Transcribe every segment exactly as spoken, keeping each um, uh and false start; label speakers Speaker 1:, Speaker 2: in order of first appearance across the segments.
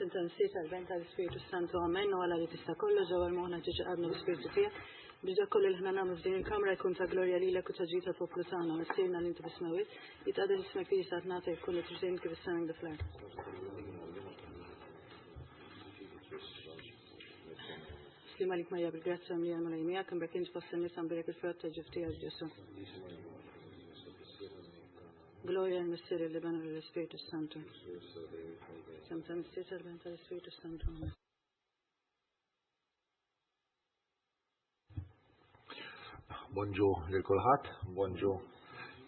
Speaker 1: F'isem tal-Missier, tal-Iben, tal-Ispirtu Santu, amen. U Alla li tista' kollox, ġewwa moħħna ġiġi qalbna l-Ispirtu tiegħek. Biex dak kollu li ħna nagħmlu f'din il-kamra jkun ta' glorja lilek u ta' ġid tal-poplu tagħna. Missierna li inti fis-smewwiet, jitqaddes ismek, tiġi saltnatek, tkun li trid kif is-sema kif fl-art. Sliem għalik Marija bil-grazzja mimlija, l-Mulej miegħek, imbierka int fost in-nisa, mbierek il-frott ta' ġuf tiegħek Ġesù. Gloria lill-Missier, l-Iben u l-Ispirtu Santu. F'isem tal-Missier, tal-Iben, tal-Ispirtu Santu. Amen.
Speaker 2: Bonġu lil kulħadd, bonġu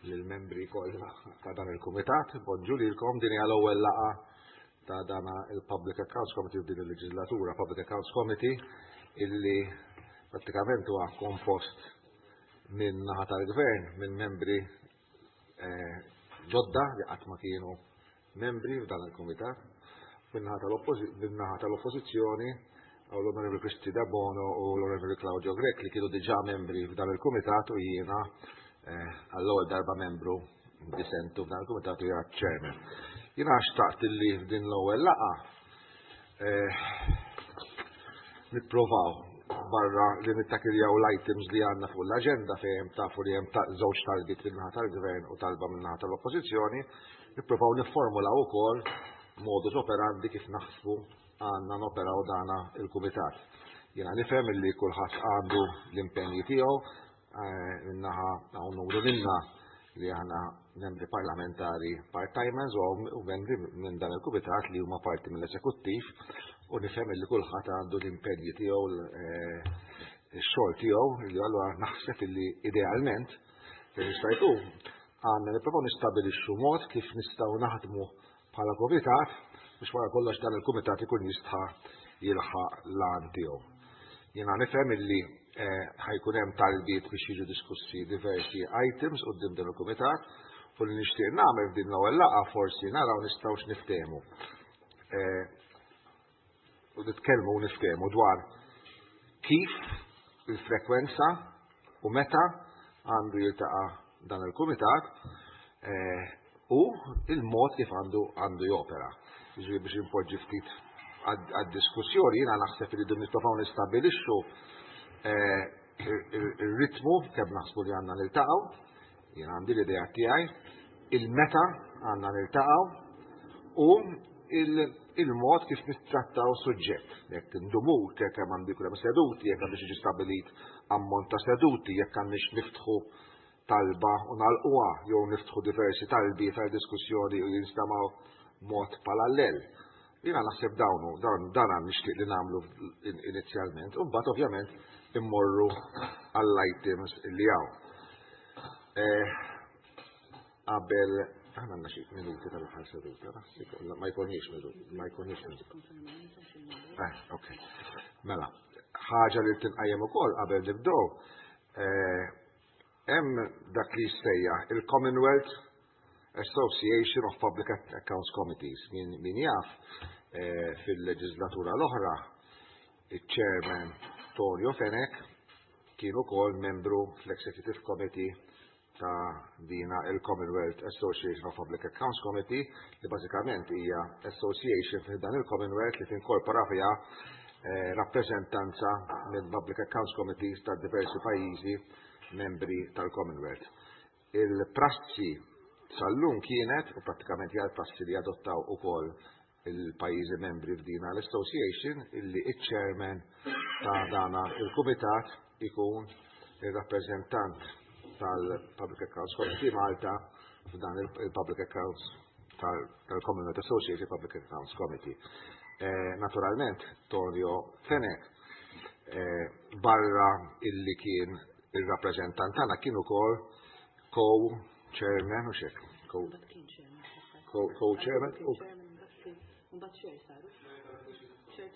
Speaker 2: lill-membri kollha ta' dan il-kumitat, bonġu lilkom. Din hija l-ewwel laqgħa ta' dan il-Public Accounts Committee f'din il-leġislatura, Public Accounts Committee illi prattikament huwa kompost minn naħa tal-gvern, minn membri eh, ġodda li qatt ma kienu membri f'dan il-kumitat, min-naħa tal-oppożizzjoni għaw l-Onorevoli Kristi Debono u l-Onorevoli Claudio Grech li kienu diġà membri f'dan il-kumitat u jiena eh, għall-ewwel darba membru disentu f'dan il-kumitat u jiena chairman. Jiena xtaqt li f'din l-ewwel laqgħa eh, nipprovaw, barra li nittakiljaw l-items li għandna fuq l-aġenda fejn tafu li hemm żewġ talbiet min-naħa tal-gvern u talba min-naħa tal-oppożizzjoni, nipprovaw nifformulaw ukoll modus operandi kif naħsbu għandna noperaw dana il-kumitat. Jiena nifhem li kulħadd għandu l-impenji tiegħu, eh, min-naħa hawn numru minna li aħna membri parlamentari part-timers u membri minn dan il-kumitat li huma parti mill-eżekuttiv, u nifhem li kulħadd għandu l-impenji tiegħu, eh, ix-xogħol tiegħu, li allura naħseb li idealment fejn jista' jkun għandna nipprovaw nistabilixxu mod kif nistgħu naħdmu bħala kumitat biex wara kollox dan il-kumitat ikun jista' jilħaq l-għan tiegħu. Jiena nifhem illi eh, ħa jkun hemm talbiet biex jiġu diskussi diversi items quddiem dan il-kumitat, u li nixtieq nagħmel f'din l-ewwel laqgħa forsi naraw nistgħux niftehmu. Eh, u nitkellmu u niftehmu dwar kif, il-frekwenza u meta għandu jiltaqa' dan il-kumitat eh, u il-mod kif għandu għandu jopera. Jiġifieri biex impoġġi ftit għad-diskussjoni, jiena naħseb li nipprovaw nistabilixxu eh, ir-ritmu kemm naħsbu li għandna niltaqgħu, jiena għandi l-idea tiegħi, il-meta għandna niltaqgħu u il-mod kif nittrattaw suġġett. Jekk indumu, kemm għandu jkun hemm seduti, jekk għandux jiġi stabbilit ammont ta' seduti, jekk għandix niftħu talba u nagħlquha jew niftħu diversi talbi tal-diskussjoni u jinstamaw mod parallel. Jiena naħseb dawnu, dawn dan nixtieq li nagħmlu inizjalment, u mbagħad ovvjament immorru għall-items li hawn. Eh, qabel aħna għandna xi minuti tal-aħħar seduta, ma jkunniex minuti, ma jkunniex minuti. Eh, ok. Mela, ħaġa li tinqajjem ukoll qabel nibdew, eh, hemm dak li jissejjaħ il-Commonwealth Association of Public Accounts Committees. Min, min jaf, eh, fil-leġislatura l-oħra, il-chairman Tonio Fenech kien ukoll membru fl-Executive Committee ta' dina il-Commonwealth Association of Public Accounts Committee, li bażikament hija association fi dan il-Commonwealth li tinkorpora fiha eh, rappreżentanza minn Public Accounts Committees ta' diversi pajjiżi membri tal-Commonwealth. Il-prassi sal-lum kienet, u prattikament hija l-prassi li adottaw ukoll il-pajjiżi membri f'dina l-association, illi il-chairman ta' dana il-kumitat ikun il-rappreżentant tal-Public Accounts Committee Malta f'dan il-Public Accounts tal-Commonwealth Association Public Accounts Committee. Eh, naturalment, Tonio Fenech, eh, barra illi kien il-rappreżentant tagħna, kien ukoll co-chairman u xek. Co-chairman.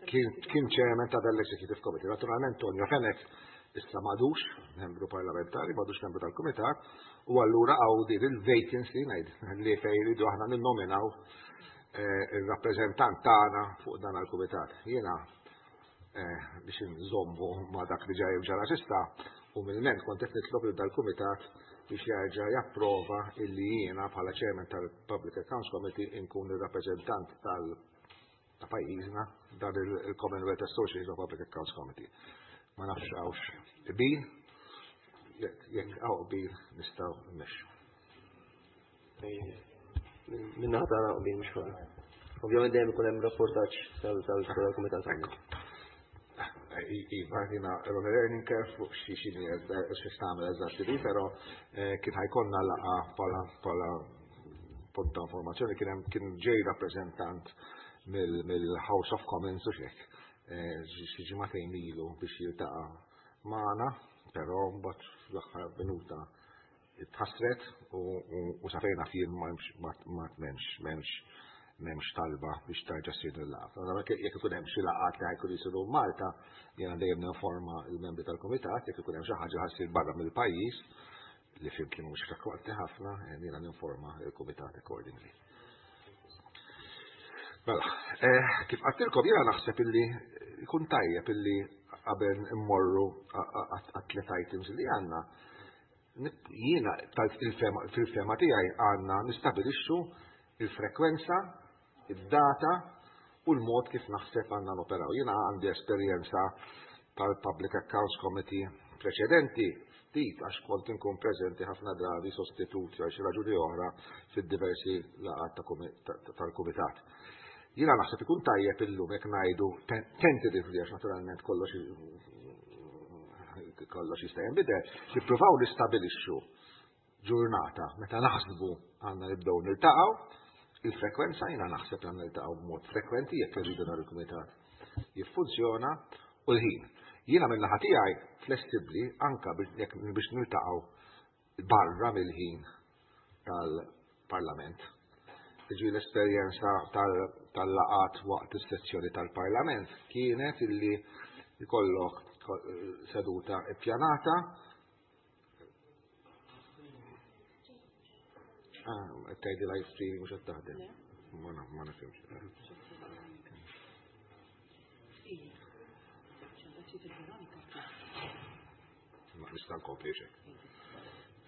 Speaker 2: Kien chairman ta' dal-Executive Committee. Naturalment, Tonio Fenech issa m'għadux membru parlamentari, m'għadux membru tal-Kumitat, u allura hawn din il-vacancy ngħid li fejn iridu aħna ninnominaw eh, il-rappreżentant tagħna fuq dan il-Kumitat. Jiena eh, biex nżommu ma' dak li ġej ġara s'issa, umilment kont qed nitlob lil dal-Kumitat biex jerġa' japprova illi jiena bħala chairman tal-Public Accounts Committee inkun ir-rappreżentant ta' pajjiżna dan il-Commonwealth Association of Public Accounts Committee. Ma nafx hawnx qbil, jekk hawn qbil nistgħu nmexxu.
Speaker 3: Min-naħa tagħna qbil mhux problema. Ovvjament dejjem ikun hemm rapportaġġ tal-kumitat tagħna.
Speaker 2: Iva, jiena learning curve fuq xi xini xi tagħmel eżatti li, però kien ħa jkollna laqgħa bħala punt ta' informazzjoni kien hemm kien ġej rappreżentant mill-House of Commons u xek xi ġimagħtejn ilu biex jiltaqa' magħna, però mbagħad fl-aħħar minuta tħassret u sa fejn naf jien ma m'hemmx m'hemmx m'hemmx talba biex tarġa' ssir il-laqgħa. Jekk ikun hemm xi laqgħat li ħa jkun jisiru Malta, jiena dejjem ninforma l-membri tal-kumitat, jekk ikun hemm xi ħaġa ħa ssir barra mill-pajjiż li fhimt li mhux frekwenti ħafna, jiena ninforma l-kumitat accordingly. Mela, kif għedtilkom jiena naħseb illi jkun tajjeb illi qabel immorru għat-tliet items li għandna, jiena fil-fehma tiegħi għandna nistabilixxu il-frekwenza, id-data u l-mod kif naħseb għandna noperaw. Jiena għandi esperjenza tal-Public Accounts Committee preċedenti, ftit għax kont inkun preżenti ħafna drabi sostituti għal xi raġuni oħra fid-diversi laqgħat tal-kumitat. Jiena naħseb ikun tajjeb illum jekk ngħidu tentatively għax naturalment kollox kollox jista' jinbidel, nippruvaw nistabilixxu ġurnata meta naħsbu għandna nibdew niltaqgħu. Il-frekwenza jiena naħseb għandna niltaqgħu b'mod frekwenti jekk irridu dan il-kumitat jiffunzjona u l-ħin. Jiena min-naħa tiegħi flessibbli anka biex niltaqgħu barra mill-ħin tal-Parlament. Ġi l-esperjenza tal-laqat waqt is-sessjoni tal-Parlament kienet illi jkollok seduta ippjanata. Ah, tgħidi live streaming mhux qed taħdem. Ma nifhimx. Ma nista' nkompli xejn.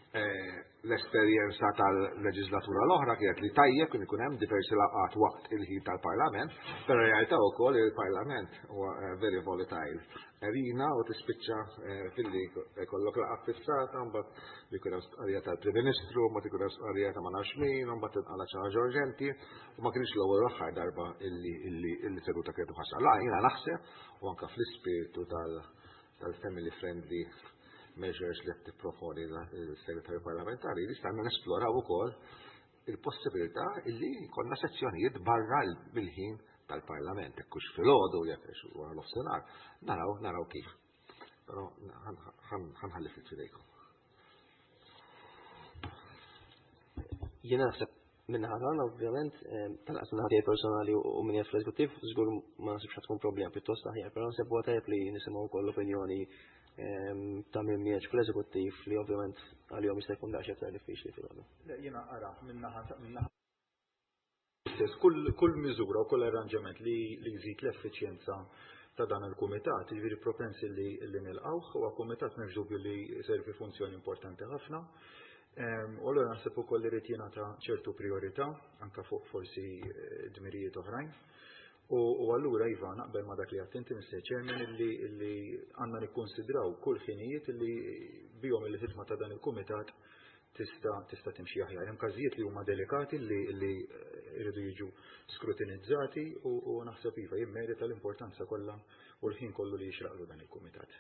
Speaker 2: L-esperjenza tal-leġislatura l-oħra kienet li tajjeb kien ikun hemm diversi laqgħat waqt il-ħin tal-Parlament, però realtà wkoll il-Parlament huwa very volatile. Erina u tispiċċa filli jkollok laqgħa fissata, mbagħad jkun hemm stqarrija tal-Prim Ministru, mbagħad ikun hemm stqarrija ta' ma nafx min, mbagħad tinqala' xi ħaġa urġenti, u ma kienx l-ewwel l-aħħar darba illi seduta kienet ħassar. La, jiena naħseb u anke fl-ispirtu tal-family friendly measures li qed tipproponi l-segretarju parlamentari, li stanna nesploraw ukoll il-possibilità illi jkollna sezzjonijiet barra mill-ħin tal-Parlament, jekk hux filgħodu, jekk hux wara nofsinhar, naraw naraw kif. Però ħanħalli ftit f'idejkom.
Speaker 3: Jiena naħseb min-naħa tagħna ovvjament, tal-qas min-naħa tiegħi personali u min jgħid fl-eżekuttiv, żgur ma naħsibx ħa tkun problema, pjuttost aħjar, però naħseb huwa tajjeb li nisimgħu wkoll l-opinjoni ta' min miegħek fl-eżekuttiv li ovvjament għalihom jista' jkun daqsxejn aktar diffiċli filgħodu.
Speaker 4: Jiena ara min-naħa min-naħa stess kull miżura u kull arranġament li jżid l-effiċjenza ta' dan il-kumitat, jiġifieri propensi li nilqgħuh, huwa kumitat m'hemmx dubju li jservi funzjoni importanti ħafna. U allura naħseb ukoll li jrid jingħata ċertu priorità anke fuq forsi dmirijiet oħrajn. U allura iva naqbel ma dak li għedt inti Mister Chairman illi għandna nikkonsidraw kull ħinijiet illi bihom il-ħidma ta' dan il-kumitat tista' tista' timxi aħjar. Hemm każijiet li huma delikati li jridu jiġu skrutinizzati u naħseb iva jimmerita l-importanza kollha u l-ħin kollu li jixraqlu dan il-kumitat.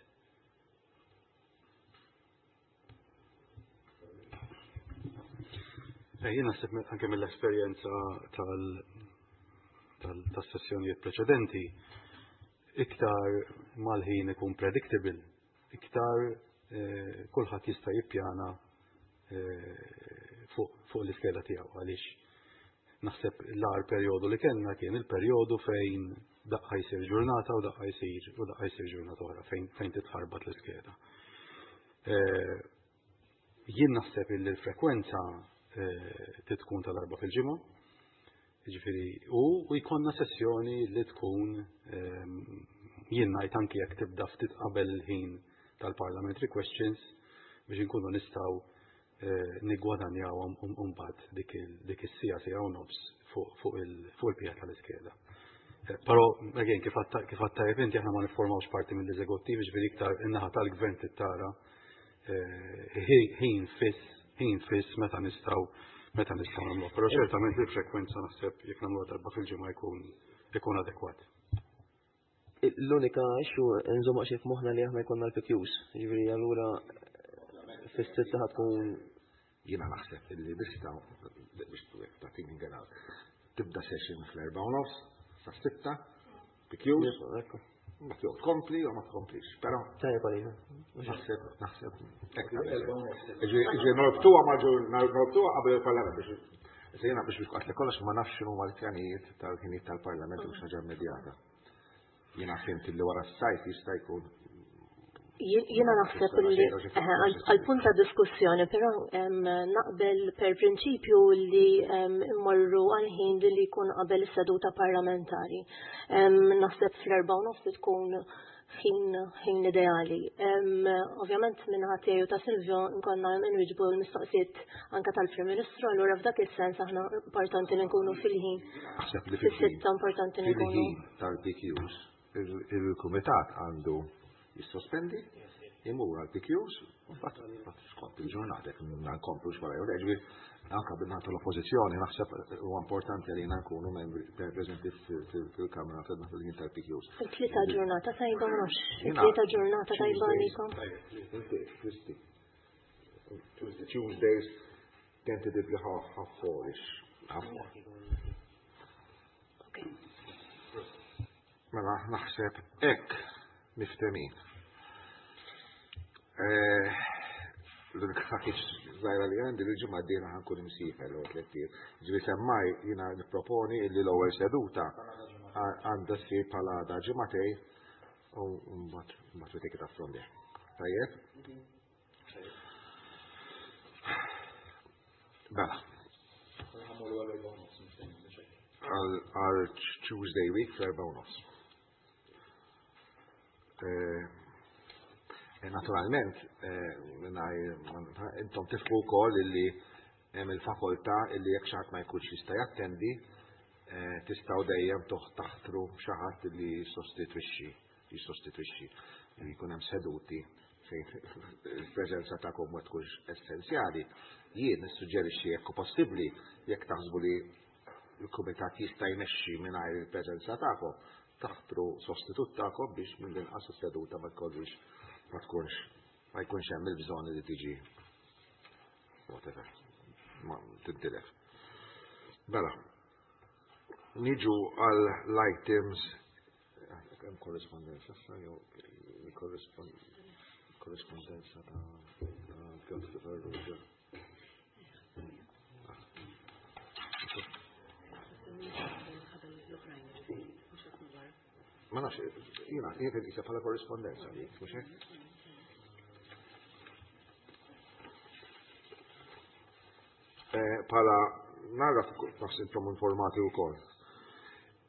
Speaker 5: Jien naħseb anke mill-esperjenza tal-sessjonijiet preċedenti, iktar mal-ħin ikun predictable, iktar kulħadd jista' jippjana fuq l-iskeda tiegħu, għaliex naħseb l-agħar perjodu li kellna kien il-perjodu fejn daqqa jsir ġurnata u daqqa jsir u daqqa jsir ġurnata oħra fejn titħarbat l-iskeda. Jien naħseb li l-frekwenza tkun tal-darba fil-ġimgħa, jiġifieri u jkollna sessjoni li tkun jien ngħid anke jekk tibda ftit qabel il-ħin tal-parliamentary questions biex inkunu nistgħu niggwadanjawhom mbagħad dik is-sija sija u nofs fuq il-pija tal-iskeda. Però, again, kif għadt tajjeb inti, aħna ma nifformawx parti mill-eżekuttiv, ġifieri iktar in-naħa tal-gvern tittara ħin fiss, ħin fiss meta nistgħu meta nistgħu nagħmluha. Però ċertament il-frekwenza naħseb jekk nagħmluha darba fil-ġimgħa jkun ikun adekwat.
Speaker 3: L-unika issue nżomma xi f'moħħna li aħna jkollna l-P Qs, ġifieri allura fis-sitta ħa tkun
Speaker 2: Jiena naħseb illi nistgħu biex tagħtini ngenaw. Tibda session fl-erba' u nofs, sa sitta, P Qs, ma jew tkompli u ma tkomplix. Però
Speaker 3: Tajjeb għalina.
Speaker 2: Naħseb, naħseb. Ġi norbtuha ma norbtuha qabel il-Parlament biex Issa jiena biex biex li kollox ma nafx x'inhu l-pjanijiet tal-ħinijiet tal-Parlament u xi ħaġa immedjata. Jiena fhimt li wara s-sajf jista' jkun
Speaker 6: Jiena naħseb li għal-punt ta' diskussjoni, però naqbel per prinċipju li immorru għal-ħin li jkun qabel is-seduta parlamentari. Naħseb fl-erba' u nofs tkun ħin ħin ideali. Ovvjament minn ħatiju ta' Silvio nkonna nwiġbu l-mistoqsijiet anka tal-Prim Ministru, allura f'dak is-sens aħna importanti li nkunu fil-ħin.
Speaker 2: Naħseb li
Speaker 6: Fis-sitta importanti li nkunu.
Speaker 2: Fil-ħin tal-P Qs, il-Kumitat għandu jissospendi, imur għal P Qs, mbagħad skont il-ġurnata jekk nkomplu xwara jew ġifieri anka bin-naħa tal-oppożizzjoni naħseb huwa importanti li nkunu membri preżenti fil-Kamra fil-ħin tal-P Qs.
Speaker 6: Il-tlieta ġurnata tajba mhux. Il-tlieta ġurnata tajba għalikom.
Speaker 2: Inti, Kristi. Tuesdays tentatively half half four-ish. Half four. Mela, naħseb hekk miftemin. L-unika ħaġa żgħira li għandi, l-ġimgħa d-dieħla ħa nkun imsiefer l tliet ijiem. Ġifieri semmaj jiena nipproponi illi l-ewwel seduta għandha ssir bħala da ġimagħtejn u mbagħad mbagħad we take it up from there. Tajjeb? Mela. Għal Tuesday week fl-erba' u nofs. Naturalment, intom tifhmu wkoll illi hemm il-fakoltà illi jekk xi ħadd ma jkunx jista' jattendi, tistgħu dejjem taħtru xi ħadd illi jissostitwixxi, jissostitwixxi. Li jkun hemm seduti fejn il-preżenza tagħkom ma tkunx essenzjali. Jien nissuġġerixxi, jekk possibbli, jekk taħsbu li l-kumitat jista' jmexxi mingħajr il-preżenza tagħkom, taħtru sostitut tagħkom biex mill-inqas is-seduta ma tkollix ma tkunx ma jkunx hemm il-bżonn li tiġi whatever ma tintilef. Mela, niġu għal l-items, hemm korrespondenza issa jew korrespondenza ta' Piotr Farrugia. Ma nafx, jiena, jien qed bħala korrespondenza dik, mhux hekk? Bħala nara naħseb intom informati wkoll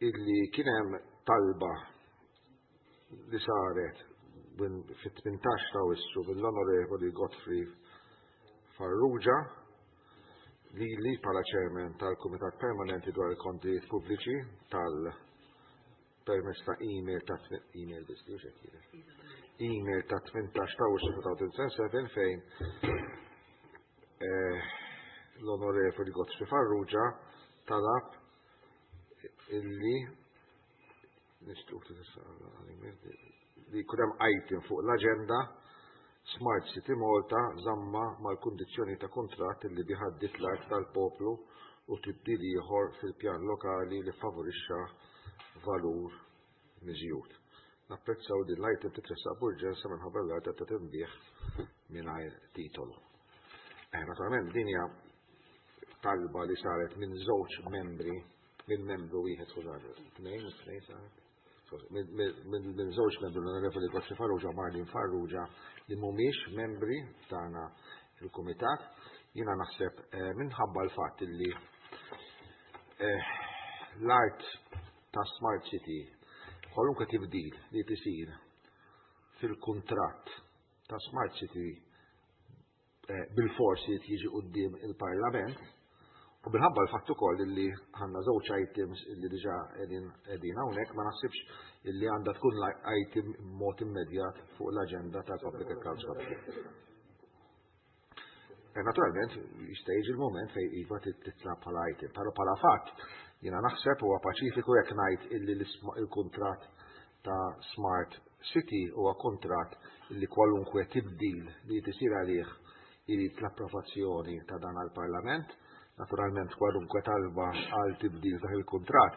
Speaker 2: illi kien hemm talba li saret fit-tmintax ta' Awwissu mill-Onorevoli Godfrey Farrugia li li bħala chairman tal-Kumitat Permanenti dwar il-Kontijiet Pubbliċi tal permezz ta' email ta' email email ta' tmintax ta' Awwissu elfejn u sebgħa fejn l-Onorevoli Godfrey Farrugia talab illi li jkun hemm item fuq l-aġenda, Smart City Malta, żamma mal-kundizzjoni ta' kontratt li biħaddit l-art tal-poplu u tibdil ieħor fil-pjan lokali li favorixxa valur miżjud. Napprezzaw din l-item titressaq b'urġenza minħabba l-art ta' tinbiegħ mingħajr titolu. Eh, naturalment din hija talba li saret minn żewġ membri, minn membru wieħed, skużani, tnejn, tnejn saret. Minn żewġ membri, l-Onorevoli Godfrey Farrugia u Marlene Farrugia, li mhumiex membri tagħna il-kumitat. Jiena naħseb minħabba l-fatt li l-art ta' Smart City, kwalunkwe tibdil li tisir fil-kuntratt ta' Smart City bil-forsi jiġi quddiem il-Parlament. U minħabba l-fatt ukoll illi għandna żewġ items illi diġà qegħdin qegħdin hawnhekk, ma naħsibx illi għandha tkun item mod immedjat fuq l-aġenda tal-Public Accounts Committee. E naturalment, jista' jiġi l-moment fejn iva titla' bħala item, però bħala fatt jiena naħseb huwa paċifiku jekk ngħid illi il-kuntratt ta' Smart City huwa kuntratt illi kwalunkwe tibdil li tisir għalih irid l-approvazzjoni ta' dan għall-Parlament. Naturalment kwalunkwe talba għal tibdil dak il-kuntratt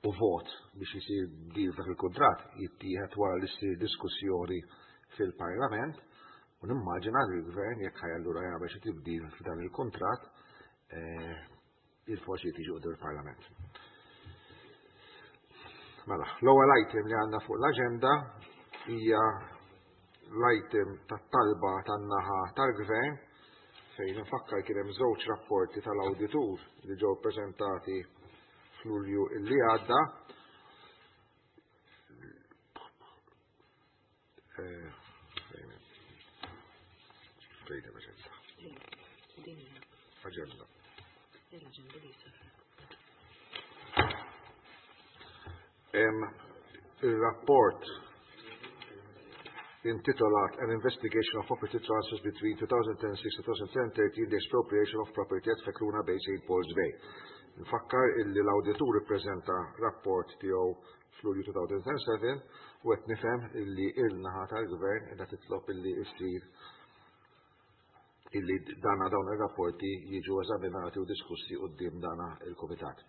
Speaker 2: u vot biex isir tibdil dak il-kuntratt jittieħed wara li ssir diskussjoni fil-Parlament, u nimmaġina li l-Gvern jekk ħaj allura jagħmel xi tibdil f'dan il-kuntratt il-forsi tiġi quddiem il-Parlament. Mela, l-ewwel item li għandna fuq l-aġenda hija l-item tat-talba tan-naħa tal-Gvern, fejn nfakkar kien hemm żewġ rapporti tal-awditur li ġew ppreżentati f'Lulju illi għadda. Fejn l-aġenda? Aġenda. Il-rapport intitolat An Investigation of Property Transfers Between two thousand six and two thousand thirteen, the Expropriation of Property at Fekruna Bay, Saint Paul's Bay. Nfakkar illi l-awditur ippreżenta rapport tiegħu f'Lulju two thousand seven u qed nifhem illi il-naħa tal-Gvern qiegħda titlob illi issir illi dana dawn ir-rapporti jiġu eżaminati u diskussi quddiem dana il-Kumitat.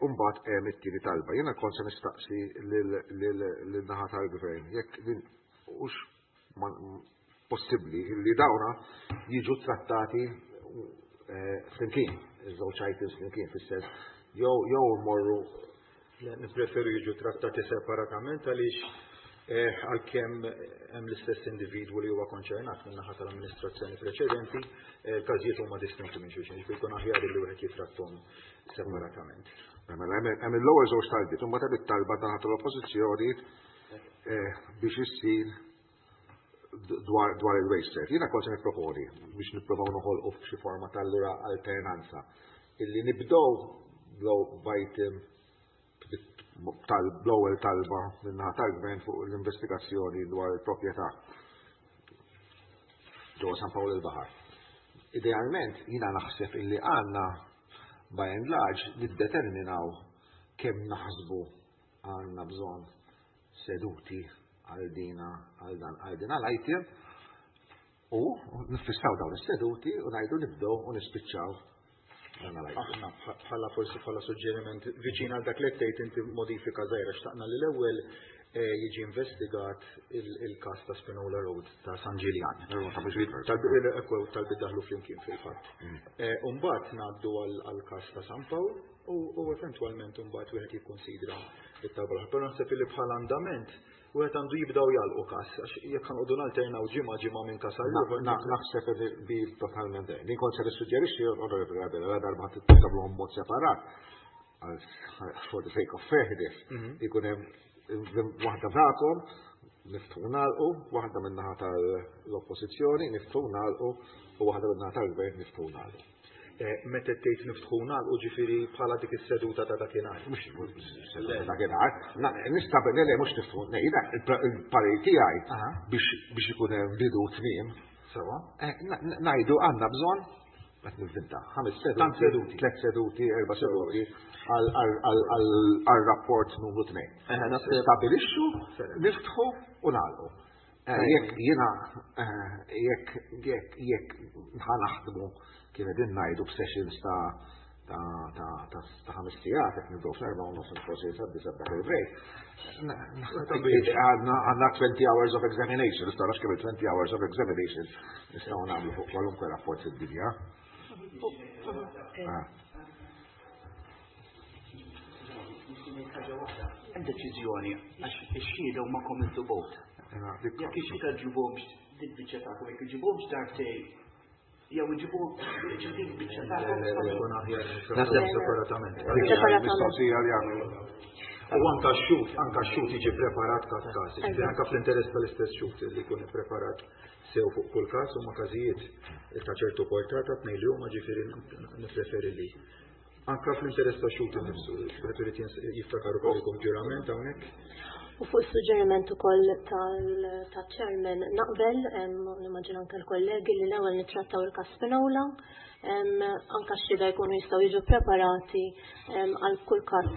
Speaker 2: Umbagħad hemm it-tieni talba. Jiena kont se nistaqsi lil-naħa tal-Gvern jekk din hux possibbli illi dawna jiġu trattati flimkien, iż-żewġ items flimkien, fis-sens jew jew mmorru.
Speaker 4: Nippreferu jiġu trattati separatament għaliex għalkemm hemm l-istess individwu li huwa konċernat min-naħa tal-amministrazzjoni preċedenti, il-każijiet huma distinti minn xulxin, ġifieri jkun aħjar li wieħed jitrattom separatament.
Speaker 2: Mela hemm l-ewwel żewġ talbiet, imbagħad hemm it-talba naħa tal-Oppożizzjoni biex issir dwar dwar il-waste. Jiena kont se nipproponi biex nippruvaw noħolqu f'xi forma tal-lura alternanza illi nibdew b'item tal-ewwel talba min-naħa tal-Gvern fuq l-investigazzjoni dwar il-proprjetà ġewwa San Pawl il-Baħar. Idealment jiena naħseb illi għandna by and large niddeterminaw kemm naħsbu għandna bżonn seduti għal dina għal dan għal dina l-item u nifissaw dawn is-seduti u ngħidu nibdew u nispiċċaw.
Speaker 4: Aħna bħala forsi bħala suġġeriment viċin għal dak li tgħid inti modifika żgħira, xtaqna li l-ewwel jiġi investigat il-każ ta' Spinola Road ta' San Ġiljan. Tal-bid daħlu flimkien fil-fatt. U mbagħad ngħaddu għall-każ ta' San Pawl u eventwalment mbagħad wieħed jikkunsidra it-talba l-oħra. Però naħseb li bħala andament wieħed għandu jibdew jagħlqu każ, għax jekk ħanqogħdu nalternaw ġimgħa ġimgħa minn każ għal ieħor.
Speaker 2: Naħseb bi totalment. Din kont se nissuġġerixxi, Onorevoli Abela, la darba tagħmluhom mod separat for the sake of fairness, ikun hemm waħda tagħkom niftħu nagħlqu, waħda min-naħa tal-Oppożizzjoni niftħu nagħlqu u waħda min-naħa tal-Gvern niftħu nagħlqu.
Speaker 4: Meta tgħid niftħu nagħlqu ġifieri bħala dik is-seduta ta' dakinhar.
Speaker 2: Mhux seduta dakinhar, nista' le le mhux niftħu, jiena il-parir tiegħi biex ikun hemm bidu tmiem.
Speaker 4: Sewa.
Speaker 2: Ngħidu għandna bżonn qed nivvinta ħames seduti, tliet seduti, erba' seduti għal rapport numru tnejn. Stabilixxu, niftħu u nagħlqu. Jekk jiena jekk jekk jekk ħanaħdmu kif qegħdin ngħidu b'sessions ta' ta' ta' ta' ħames sigħat, jekk nibdew fl-erbgħa u nofs forsi sa disa' dak il-break. Għandna twenty hours of examination, nistgħu nafx kemm twenty hours of examination nistgħu nagħmlu fuq kwalunkwe rapport fid-dinja.
Speaker 7: Hemm deċiżjoni għax ix-xhieda huma common to both. Jekk ix-xhieda ġibhomx dik biċċa tagħkom, jekk iġibhomx darbtej jew iġibuhom dik biċċa tagħkom.
Speaker 4: Separatament.
Speaker 2: Mistoqsija li għamlu.
Speaker 4: U anka x-xhud, anka x-xhud jiġi preparat każ każ, jiġifieri anka fl-interess tal-istess xhud li jkun ippreparat sew fuq kull każ huma każijiet ta' ċertu portata tnejn li huma ġifieri nippreferi li. Anka fl-interess ta' xhud innifsu, wieħed irid jiftakar ukoll jkun ġurament hawnhekk.
Speaker 6: U fuq suġġeriment ukoll tal-chairman naqbel, nimmaġina anke l-kollegi li l-ewwel nittrattaw il-każ Spinola, anka x-xhieda jkunu jistgħu jiġu preparati għal kull każ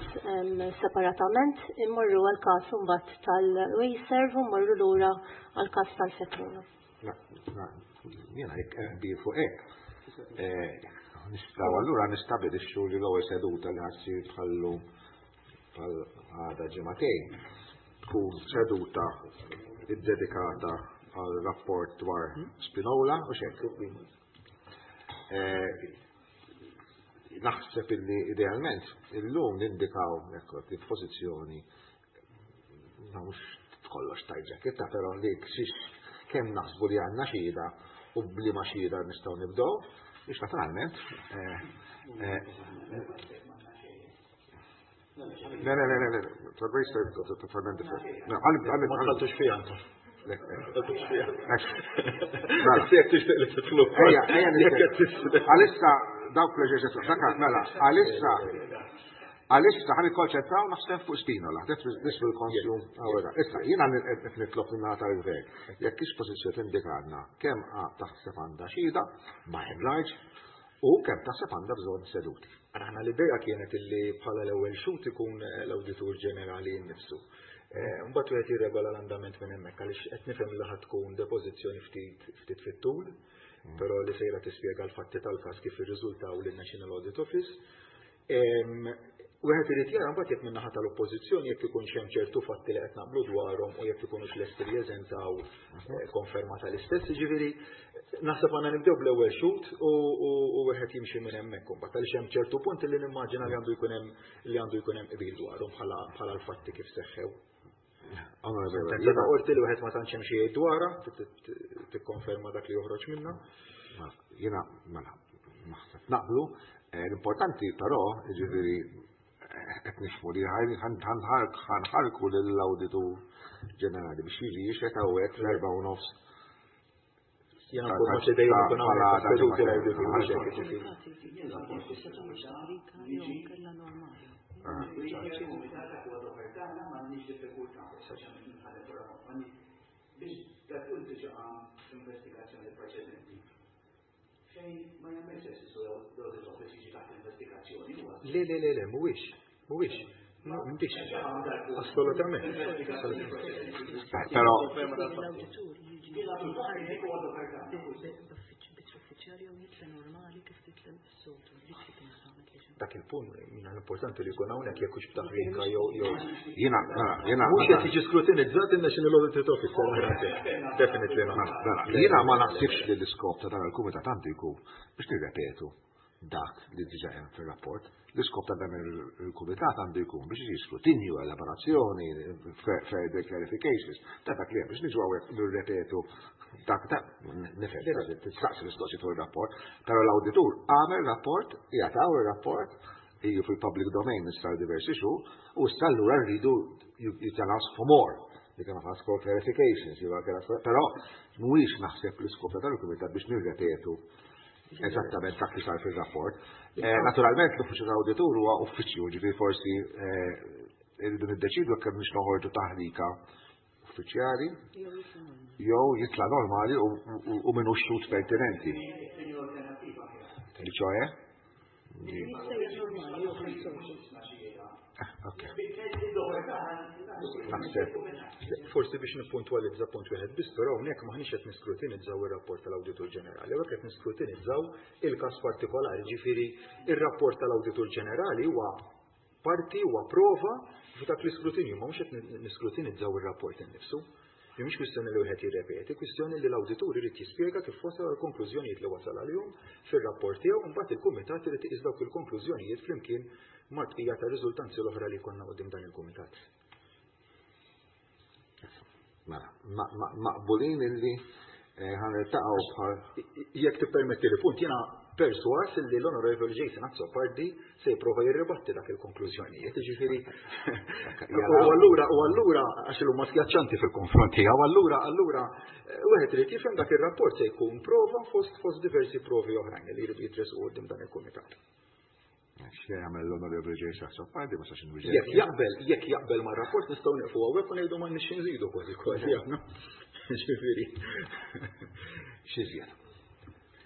Speaker 6: separatament, immorru għal każ imbagħad tal-Wasteserv u mmorru lura għal każ tal-Fekruna.
Speaker 2: Jiena jekk qbil fuq hekk. Nistgħu allura nistabilixxu li l-ewwel seduta li ħa ssir bħallu bħal għada ġimagħtejn tkun seduta iddedikata għal rapport dwar Spinola u xejn. Naħseb illi idealment illum nindikaw ekku pożizzjoni ma mhux kollox tajġa però li xiex kemm naħsbu li għandna xhieda u b'liema xhieda nistgħu nibdew biex naturalment Le, le, le, le, le, totalment different. No, għalli, għalli,
Speaker 4: Ma tħalltux fiha anka.
Speaker 2: Le,
Speaker 4: Tħalltux fiha.
Speaker 2: Mela.
Speaker 4: Jekk tixtieq li titlu.
Speaker 2: Ejja, ejja, għalissa dawk l-eġerċizzju, dak mela, għalissa, għalissa ħa nikkonċentraw naħseb fuq Spinola, this will consume our. Issa, jiena qed nitlob minn tal-gvern, jekk hix pożizzjoni tindikalna kemm taħseb għandha xhieda, by and large, u kemm taħseb għandha bżonn seduti.
Speaker 4: Aħna l-idea kienet illi bħala l-ewwel xhud ikun l-Awditur Ġenerali nnifsu. Mbagħad wieħed jirregola l-andament minn hemmhekk għaliex qed nifhem li ħadd tkun depożizzjoni ftit ftit fit-tul, però li sejra tispjega l-fatti tal-każ kif irriżultaw lin-National Audit Office. Wieħed irid jara mbagħad jekk min-naħa tal-Oppożizzjoni jekk ikun hemm ċertu fatti li qed naqblu dwarhom u jekk ikunux lesti li jeżentaw konferma tal-istess, jiġifieri naħseb għandna nibdew bl-ewwel xhud u wieħed jimxi minn hemmhekk imbagħad għaliex hemm ċertu punti li nimmaġina li għandu jkun hemm li għandu jkun hemm qbil dwarhom bħala l-fatti kif seħħew. Sentenza ta' qorti li wieħed ma tantx hemm xi jgħid dwarha, tikkonferma dak li joħroġ minnha.
Speaker 2: Jiena mela naħseb naqblu, l-importanti però, jiġifieri qed nifhmu li ħanħarku lill-Awditur Ġenerali biex jiġi jixhed hawnhekk fl-erba' u nofs.
Speaker 4: Jiena nkun ma xi dejjem ikun hawnhekk seduti l-awditur.
Speaker 7: Biex dak diġà investigazzjoni preċedenti. Fejn ma jagħmel sens l-audit office jiġi taħt investigazzjoni huwa.
Speaker 4: Le, le, le, le, mhuwiex, mhuwiex. No, m'intix. Assolutament.
Speaker 2: Però
Speaker 1: L-awditur jiġi bit-uffiċjali jew jitla normali kif titla s-soltu, dik li kien samet li
Speaker 4: Dak il-punt jiena l-importanti li jkun hawnhekk jekk hux b'taħrika jew jew
Speaker 2: jiena, mela, jiena
Speaker 4: Mhux qed jiġi skrutinizzat in-National Audit Office. Definitely not.
Speaker 2: Mela, jiena ma naħsibx li l-iskop ta' dan il-kumitat għandu jkun biex nirrepetu dak li diġà hemm fir-rapport. L-iskop ta' dan il-kumitat għandu jkun biex jiġi skrutinju, elaborazzjoni, further clarifications, ta' dak li hemm biex niġu hawnhekk nirrepetu dak ta' nifhem tistaqsi mistoqsijiet fuq ir-rapport, però l-awditur għamel rapport, jagħtaw ir-rapport, iju fil-public domain issa diversi xhur, u issa allura rridu you can ask for more. You can ask for clarifications, you can ask for, però mhuwiex naħseb l-iskop ta' dan il-kumitat biex nirrepetu eżattament dak li sar fil-rapport. Naturalment l-uffiċċju tal-awditur huwa uffiċċju, ġifieri forsi irridu niddeċidu kemm biex noħorġu taħrika uffiċjali jew jitla normali u minnu xhud pertinenti. Li ċoħe? Ok. Naħseb.
Speaker 4: Forsi biex nippuntwalizza punt wieħed biss, però hawnhekk maħniex qed niskrutinizzaw ir-rapport tal-Awditur Ġenerali, hawnhekk qed niskrutinizzaw il-każ partikolari, ġifieri ir-rapport tal-Awditur Ġenerali huwa parti huwa prova f'dak l-iskrutinju, ma mhux qed niskrutinizzaw ir-rapport innifsu. Mhix kwistjoni li wieħed jirrepeti, kwistjoni li l-awditur irid jispjega kif wasal għal konklużjonijiet li wasal għalihom fir-rapport tiegħu, imbagħad il-kumitat irid iqis dawk il-konklużjonijiet flimkien mal-bqija ta' riżultanzi l-oħra li jkollna quddiem dan il-kumitat.
Speaker 2: Mela, maqbulin illi ħaniltaqgħu bħal
Speaker 4: Jekk tippermetti li punt, jiena Perswas li l-Onorevoli Jason Azzopardi se jipprova jirribatti dak il-konklużjonijiet, jiġifieri. U allura u allura għax huma skjaċċanti fil-konfront tiegħu, allura allura wieħed irid jifhem dak ir-rapport se jkun prova fost fost diversi provi oħrajn li jridu jitresqu quddiem dan il-kumitat.
Speaker 2: X'se jagħmel l-Onorevoli Jason Azzopardi ma sax inwiġġeb.
Speaker 4: Jekk jaqbel, jekk jaqbel mar-rapport nistgħu nieqfu hawnhekk u ngħidu m'għandniex nżidu kważi kważi aħna. Ġifieri.
Speaker 2: X'iżjed.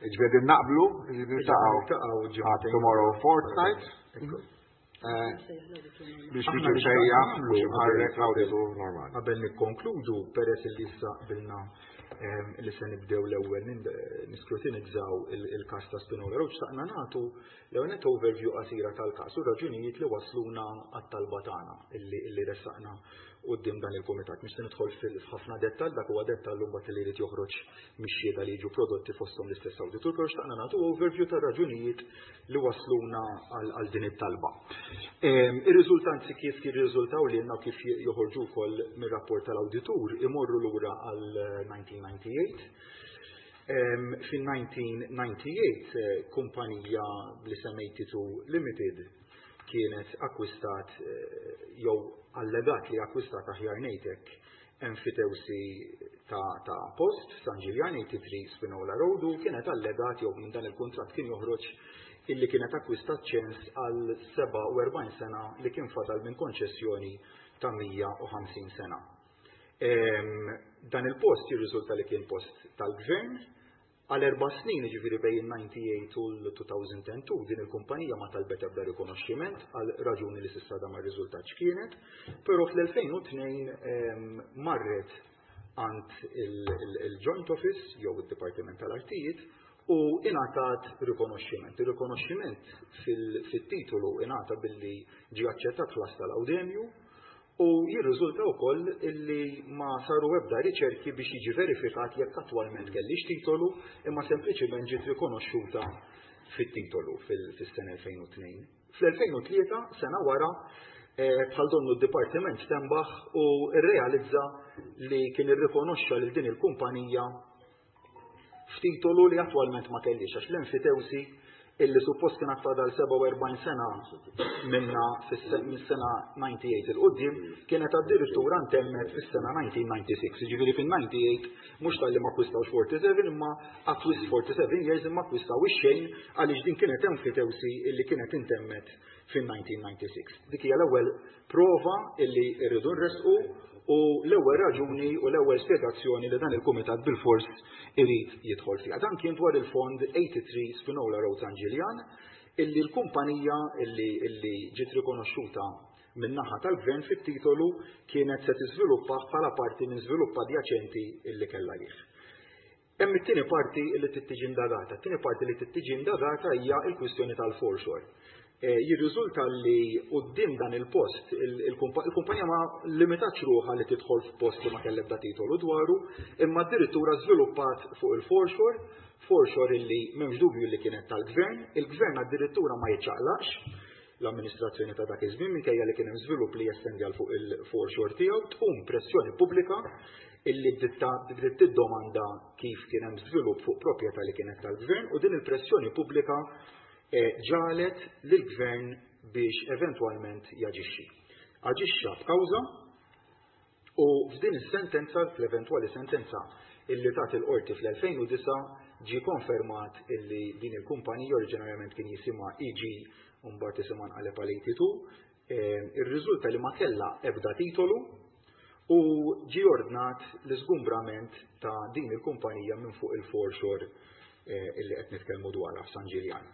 Speaker 2: Ġifieri naqblu, niltaqgħu tomorrow fortnight. Biex jiġi msejjaħ mhux imħarrek l-awditur normali.
Speaker 4: Qabel nikkonkludu, peress li issa qbilna li se nibdew l-ewwel niskrutinizzaw il-każ ta' Spinola Road, xtaqna nagħtu l-ewwel net overview qasira tal-każ u raġunijiet li wasluna għat-talba tagħna illi ressaqna quddiem dan il-kumitat. Mhux se nidħol f'ħafna dettall, dak huwa dettall imbagħad li jrid joħroġ mix-xhieda li jiġu prodotti fosthom l-istess awditur, però xtaqna nagħtu overview tar-raġunijiet li wasluna għal din it-talba. Ir-riżultanzi kif jirriżultaw lilna u kif joħorġu wkoll mir-rapport tal-awditur imorru lura għal nineteen ninety-eight. Fin-nineteen ninety-eight kumpanija bl-isem eighty-two Limited kienet akkwistat jew allegat li akkwistat aħjar ngħidlek enfitewsi ta', ta' post San Ġiljan eighty-three Spinola Road u kienet allegat jew minn dan il-kuntratt kien joħroġ illi kienet akkwistat ċens għal sebgħa u erbgħin sena li kien fadal minn konċessjoni ta' mija u ħamsin sena. Em, dan il-post jirriżulta li kien post tal-gvern għal erba' snin, jiġifieri bejn ninety-eight u l-two thousand and two, din il-kumpanija ma talbet ebda rikonoxximent għal raġuni li s'issa da ma rriżultatx kienet, però fl-elfejn u tnejn, em, marret għand il-Joint Office jew id-Dipartiment tal-Artijiet u ingħatat rikonoxximent. Ir-rikonoxximent fil-titolu ingħata billi ġie aċċettat ħlas tal-awdemju u jirriżulta wkoll illi ma saru ebda riċerki biex jiġi verifikat jekk attwalment kellix titolu, imma sempliċiment ġiet rikonoxxuta fit-titolu fis-sena elfejn u tnejn. Fl-elfejn u tlieta, sena wara, eh, bħal donnu d-dipartiment stenbaħ u rrealizza li kien irrikonoxxa lil din il-kumpanija f'titolu li attwalment ma kellix, għax l-enfitewsi illi suppost kien fadal sebgħa u erbgħin sena minna mis-sena ninety-eight il-qudiem kienet addirittura ntemmet fis-sena nineteen ninety-six. Jiġifieri fin-ninety-eight mhux talli ma akkwistawx forty-seven imma akkwist forty-seven years imma akkwistaw ix-xejn għaliex din kienet enfitewsi illi kienet intemmet fin-nineteen ninety-six. Dik hija l-ewwel prova illi rridu nresqu u l-ewwel raġuni u l-ewwel spjegazzjoni li dan il-kumitat bil-fors irid jidħol fiha. Dan kien dwar il-fond eighty-three Spinola Road San Ġiljan illi l-kumpanija illi, illi ġiet rikonoxxuta min-naħa tal-gvern fit-titolu kienet se tiżviluppa bħala parti minn żvilupp adjaċenti illi kellha lih. Hemm it-tieni parti li trid tiġi indagata. It-tieni parti li trid tiġi indagata hija l-kwistjoni tal-foreshore. Eh, jirriżulta li quddiem dan il-post il-kumpa-, il-kumpanija ma limitatx ruħha li tidħol f'post li ma kellha ebda titolu dwaru, imma addirittura żviluppat fuq il-foreshore, foreshore illi m'hemmx dubju li kienet tal-gvern, il-gvern addirittura ma jiċċaqlaqx l-amministrazzjoni ta' dak iż-żmien minkejja li kien hemm żvilupp li jestendi għal fuq il-foreshore tiegħu, tqum pressjoni pubblika illi bdiet tiddomanda kif kien hemm żvilupp fuq proprjetà li kienet tal-gvern u din il-pressjoni pubblika ġalet lill-gvern biex eventwalment jaġixxi. Aġixxa b'kawża u f'din is-sentenza, fl-eventwali sentenza illi tat il-qorti fl-elfejn u disa' ġie konfermat illi din il-kumpanija oriġinarjament kien jisimha E G u mbagħad isimha nqaleb għal eighty-two, eh, irriżulta li ma kellha ebda titolu u ġie ordnat l-iżgumbrament ta' din il-kumpanija minn fuq il-foreshore, eh, illi qed nitkellmu dwarha f'San Ġiljan.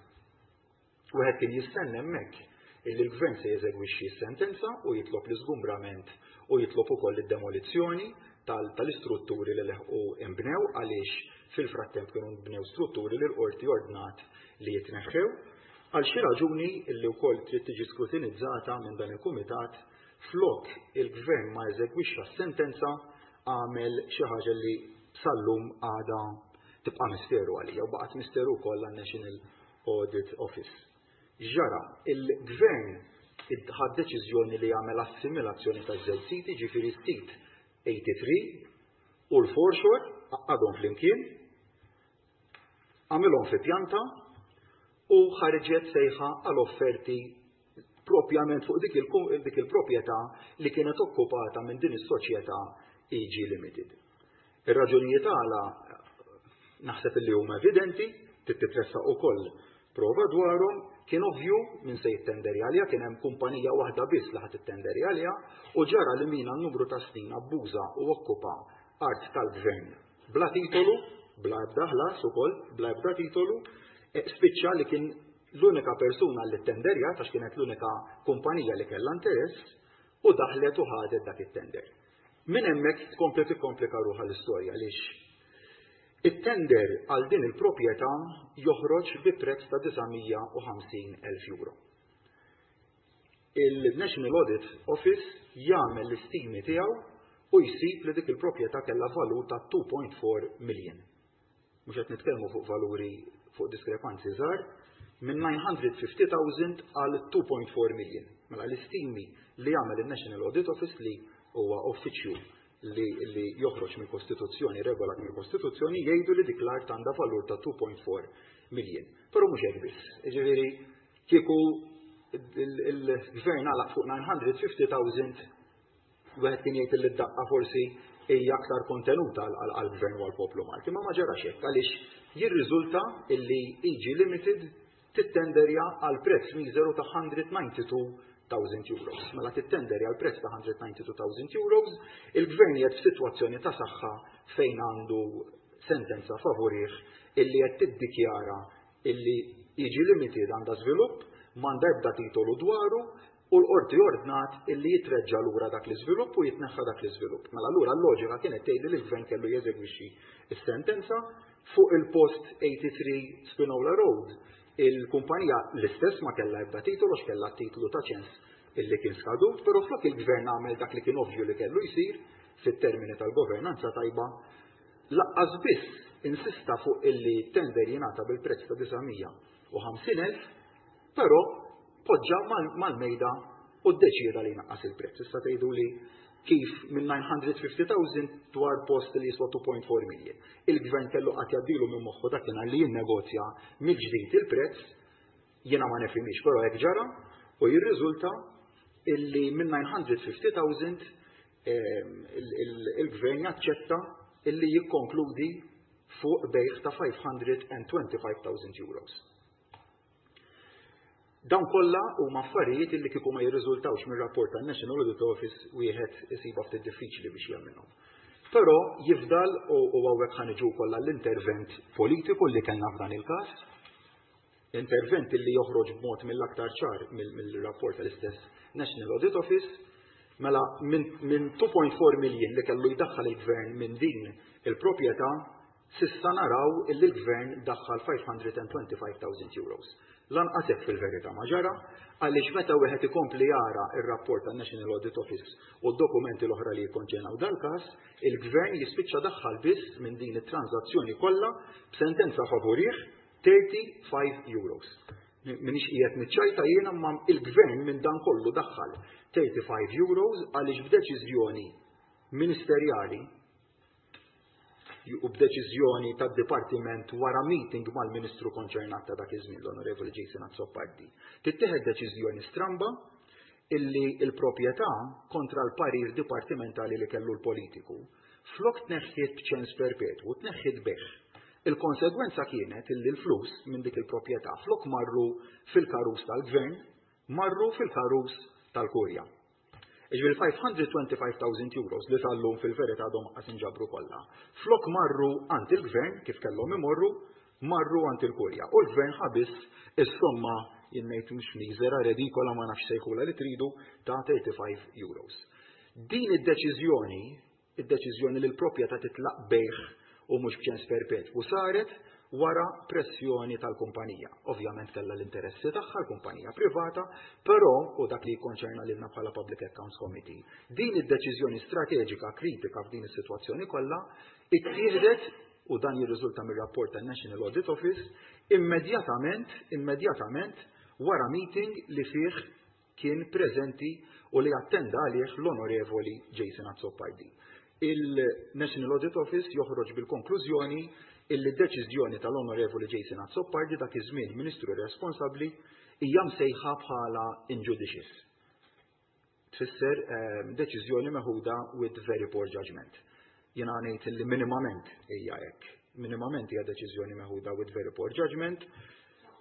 Speaker 4: Wieħed kien jistenna hemmhekk illi l-gvern se jeżegwixxi s-sentenza u jitlob l-iżgumbrament u jitlob ukoll id-demolizzjoni tal-, tal-istrutturi li leħqu imbnew għaliex fil-frattemp kienu nbnew strutturi li l-qorti ordnat li jitneħħew. Għal xi raġuni illi wkoll trid tiġi skrutinizzata minn dan il-kumitat, flok il-gvern ma eżegwixxa s-sentenza għamel xi ħaġa li sal-lum għadha tibqa' misteru għalija u baqgħet misteru wkoll għan-National Audit Office. Ġara, il-gvern ħad deċiżjoni li jagħmel assimilazzjoni ta' żewġ siti, ġifieri sit eighty-three u l-foreshore għadhom flimkien, għamilhom fi pjanta u ħarġet sejħa għal offerti propjament fuq dik il-proprjetà li kienet okkupata minn din is-soċjetà E G Limited. Ir-raġunijiet għala naħseb li huma evidenti, titressaq ukoll prova dwarhom. Kien ovvju min se jittenderi għalija, kien hemm kumpanija waħda biss li ħadd ittenderi għalija, u ġara li min għal numru ta' snin abbuża u okkupa art tal-gvern bla titolu, bla ebda ħlas ukoll, bla ebda titolu, e, spiċċa li kien l-unika persuna li ttenderja, għax kienet l-unika kumpanija li kellha interess, u daħlet u ħadet dak it-tender. Minn hemmhekk tkompli tikkomplika ruħha l-istorja, għaliex it-tender għal din il-proprjetà joħroġ bi prezz ta' disa' mija u ħamsin elf euro. Il-National Audit Office jagħmel l-istimi tiegħu u jsib li dik il-proprjetà kellha valur ta' two point four million. Mhux qed nitkellmu fuq valuri, fuq diskrepanzi żgħar, minn nine hundred fifty thousand għal two point four million. Mela l-istimi li jagħmel il-National Audit Office, li huwa uffiċċju li, li joħroġ mill-Kostituzzjoni, regolat mill-Kostituzzjoni, jgħidu li dik l-art għandha valur ta' two point four million. Però mhux hekk biss. Jiġifieri kieku il-gvern għalaq fuq nine hundred fifty thousand, wieħed kien jgħid li d-daqqa forsi hija aktar kontenuta għall-gvern u għall-poplu Malti, ma ma ġarax hekk, għaliex jirriżulta illi E G Limited tittenderja għal prezz miżeru ta' one hundred ninety-two thousand euros. Mela tittenderja għal prezz ta' one hundred ninety-two thousand euros, il-gvern qiegħed f'sitwazzjoni ta' saħħa fejn għandu sentenza favorih illi qed tiddikjara illi E G Limited għandha żvilupp, m'għandha ebda titolu dwaru, u l-qorti ordnat illi jitreġġa lura dak l-iżvilupp u jitneħħa dak l-iżvilupp. Mela allura l-loġika kienet tgħid li l-gvern kellu jeżegwixxi s-sentenza. Fuq il-post eighty-three Spinola Road. Il-kumpanija l-istess, ma kellha ebda titolu, x'kellha titlu ta' ċens illi kien skadut, però flok il-gvern għamel dak li kien ovvju li kellu jsir fit-termini tal-governanza tajba, lanqas biss insista fuq illi tender jingħata bil-prezz ta' disa' mija u ħamsin elf, però poġġa mal-mejda u ddeċida li jnaqqas il-prezz. Issa tgħidu li kif minn nine hundred fifty thousand dwar post li jiswa two point four million? Il-gvern kellu qatt jgħaddilu minn moħħu dakinhar li jinnegozja mill-ġdid il-prezz? Jiena ma nifhimix, però hekk ġara, u jirriżulta illi minn nine hundred fifty thousand il-gvern jaċċetta illi jikkonkludi fuq bejgħ ta' five hundred twenty-five thousand euros. Dawn kollha huma affarijiet illi kieku ma jirriżultawx mir-rapport tan-National Audit Office, wieħed isibha ftit diffiċli biex jagħmilhom. Però jifdal, u hawnhekk ħa niġu kollha l-intervent politiku li kellna f'dan il-każ, intervent li joħroġ b'mod mill-aktar ċar mill-rapport tal-istess National Audit Office. Mela minn two point four million li kellu jdaħħal il-gvern minn din il-proprjetà, s'issa naraw illi l-gvern daħħal five hundred twenty-five thousand euros. Lanqas hekk fil-verità ma ġara, għaliex meta wieħed ikompli jara ir-rapport tan-National Audit Office u d-dokumenti l-oħra li jikkonċernaw dal-każ, il-gvern jispiċċa daħħal biss minn din it-transazzjoni kollha, b'sentenza favorih, thirty-five euros. Minix qiegħed niċċajta jiena, ma il-gvern minn dan kollu daħħal thirty-five euros, għaliex b'deċiżjoni ministerjali u b'deċiżjoni tad-dipartiment wara meeting mal-ministru konċernat ta' dak iż-żmien, l-Onorevoli Jason Azzopardi, tittieħed deċiżjoni stramba illi il-proprjetà, kontra l-parir dipartimentali li kellu l-politiku, flok tneħħiet b'ċens perpetwu, tneħħiet bejgħ. Il-konsegwenza kienet illi l-flus minn dik il-proprjetà, flok marru fil-karus tal-gvern, marru fil-karus tal-kurja. Jiġifieri five hundred twenty-five thousand euros li sal-lum fil-verità għadhom qas inġabru kollha, flok marru għand il-gvern kif kellhom imorru, marru għand il-kurja. U l-gvern ħa biss is-somma, jien ngħid mhux miżera, redikola, ma nafx sejħula li tridu, ta' thirty-five euros. Din id-deċiżjoni, id-deċiżjoni li l-proprjetà titlaq bejgħ u mhux b'ċens perpetwu, saret wara pressjoni tal-kumpanija. Ovvjament kellha l-interessi tagħha l-kumpanija privata, però, u dak li jikkonċerna lilna bħala Public Accounts Committee, din id-deċiżjoni strateġika kritika f'din is-sitwazzjoni kollha ittieħdet, u dan jirriżulta mir-rapport tan-National Audit Office, immedjatament immedjatament wara meeting li fih kien preżenti u li attenda għalih l-Onorevoli Jason Azzopardi. Il-National Audit Office joħroġ bil-konklużjoni illi deċiżjoni tal-Onorevoli Jason Azzopardi, dak iż-żmien Ministru responsabbli, hija msejħa bħala injudicious. Tfisser ehm, deċiżjoni meħuda with very poor judgment. Jiena ngħid li minimament hija hekk. Minimament hija deċiżjoni meħuda with very poor judgment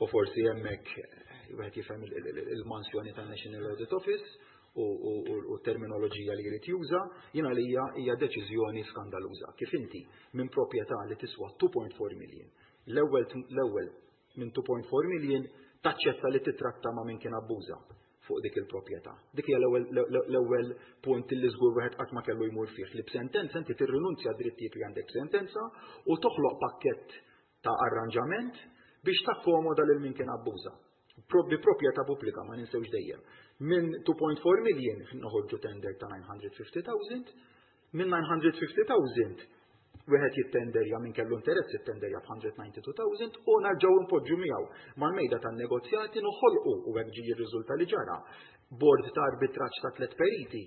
Speaker 4: u forsi hemmhekk eh, wieħed jifhem il-mansjoni tan-National Audit Office u terminoloġija li jrid juża, jiena li hija deċiżjoni skandaluża. Kif inti minn proprjetà li tiswa two point four million, l-ewwel l-ewwel minn two point four million taċċetta li titratta ma' min kien abbuża fuq dik il-proprjetà. Dik hija l-ewwel punt li żgur wieħed qatt ma kellu jmur fih, li b'sentenza inti tirrinunzja drittijiet li għandek sentenza u toħloq pakkett ta' arranġament biex takkomoda lil min kien abbuża. Bi proprjetà pubblika, ma ninsewx dejjem. Minn two point four million noħorġu tender ta' nine hundred fifty thousand, minn nine hundred fifty thousand wieħed jittenderja, minn kellu interess jittenderja b'mija u disgħa u disgħin elf u narġgħu npoġġu miegħu mal-mejda tan-negozjati, noħolqu, u hekk ġi jirriżulta li ġara, bord ta' arbitraġġ ta' tliet periti.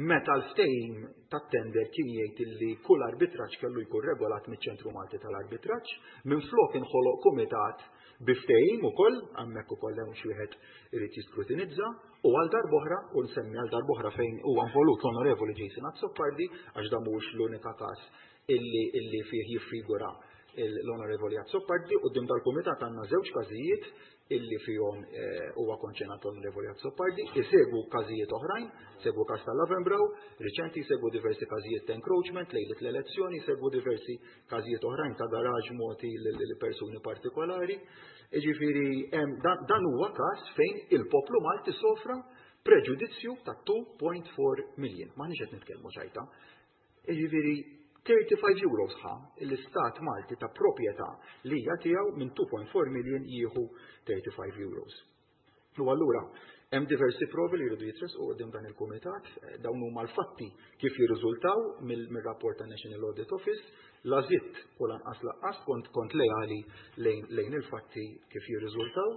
Speaker 4: Meta l-ftehim tat-tender kien jgħid li kull arbitraġġ kellu jkun regolat miċ-Ċentru Malti tal-Arbitraġġ, minflok inħoloq kumitat bi ftehim ukoll, hemmhekk ukoll hemm xi wieħed irid jiskrutinizza, u għal darb'oħra, u nsemmi għal darb'oħra fejn huwa involut l-Onorevoli Jason Azzopardi, għax dan mhuwiex l-unika każ illi illi fih jiffigura l-Onorevoli Azzopardi. Quddiem dal-kumitat għandna żewġ każijiet illi fihom eh, huwa konċernat l-Onorevoli Azzopardi, isegwu każijiet oħrajn, segwu każ tal-Lavenbrow, riċenti segwu diversi każijiet ta' encroachment lejlet l-elezzjoni, segwu diversi każijiet oħrajn ta' garaġ mogħti lil persuni partikolari. Jiġifieri dan huwa każ fejn il-poplu Malti sofra preġudizzju ta' two point four million. M'aħniex qed nitkellmu ċajta. Jiġifieri thirty-five euros ħa l-istat Malti ta' proprjetà li hija tiegħu, minn two point four million jieħu thirty-five euros. U allura hemm diversi provi li jridu jitresqu quddiem dan il-kumitat, dawn huma l-fatti kif jirriżultaw mill-rapport ta' National Audit Office, la żidt u lanqas lanqas, kont kont leali lejn, lejn il-fatti kif jirriżultaw,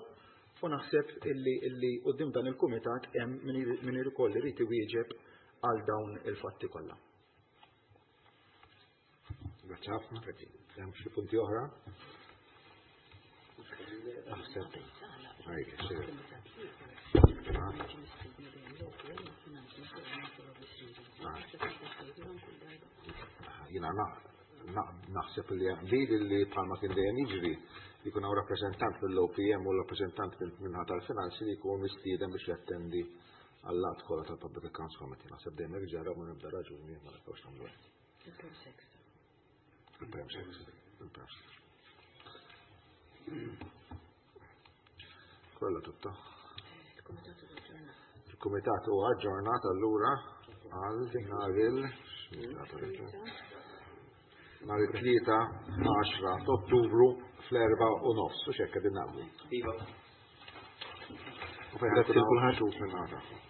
Speaker 4: u naħseb illi illi quddiem dan il-kumitat hemm min ikollu jrid iwieġeb għal dawn il-fatti kollha.
Speaker 2: Grazzi ħafna. Hemm xi punti oħra? Naħseb. Ejja, sir. Ah. Ah. Jiena naħseb li qbil li bħalma kien dejjem jiġri jkun hawn rappreżentant mill-O P M u rappreżentant min-naħa tal-finanzi li jkun mistieden biex jattendi għal-laqgħat kollha tal-Public Accounts Committee. Naħseb dejjem hekk ġara, ma nibda raġuni ma nibqgħux nagħmlu hekk. Il-Prem Sex. Il-Prem Sex. Kollha tutta. Il-Kumitat huwa aġġornat allura għal nhar il nhar it-tlieta għaxra ta' Ottubru fl-erba' u nofs, u xekka din naqblu.
Speaker 3: Iva.
Speaker 2: U fejn ħa jkun hawn xhud minn